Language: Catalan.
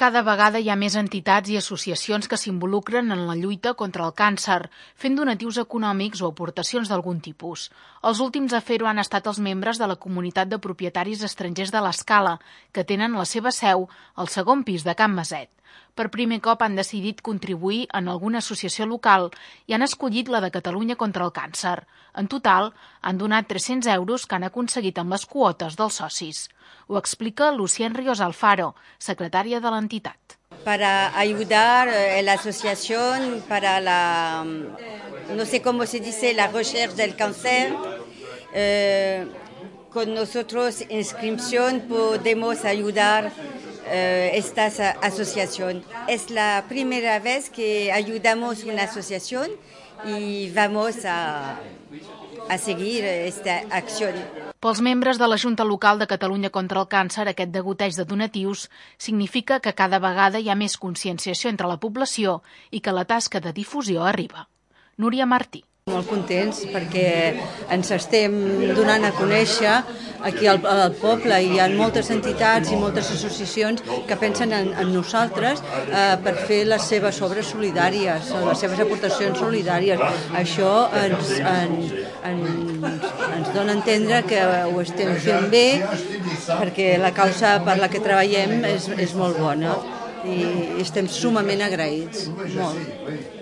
cada vegada hi ha més entitats i associacions que s'involucren en la lluita contra el càncer, fent donatius econòmics o aportacions d'algun tipus. Els últims a fer-ho han estat els membres de la comunitat de propietaris estrangers de l'Escala, que tenen la seva seu al segon pis de Can Maset. Per primer cop han decidit contribuir en alguna associació local i han escollit la de Catalunya contra el càncer. En total, han donat 300 euros que han aconseguit amb les quotes dels socis. Ho explica Lucien Ríos Alfaro, secretària de l'entitat. Para ayudar la asociación para no sé cómo se dice, la recherche del cáncer. Con nosotros inscripción podemos ayudar esta asociación. Es la primera vez que ayudamos una asociación y vamos a seguir esta acción. Pels membres de la Junta Local de Catalunya contra el Càncer, aquest degoteig de donatius significa que cada vegada hi ha més conscienciació entre la població i que la tasca de difusió arriba. Núria Martí. Molt contents perquè ens estem donant a conèixer aquí al poble. Hi ha moltes entitats i moltes associacions que pensen en nosaltres per fer les seves obres solidàries, les seves aportacions solidàries. Això ens dona a entendre que ho estem fent bé perquè la causa per la que treballem és molt bona i estem sumament agraïts, molt.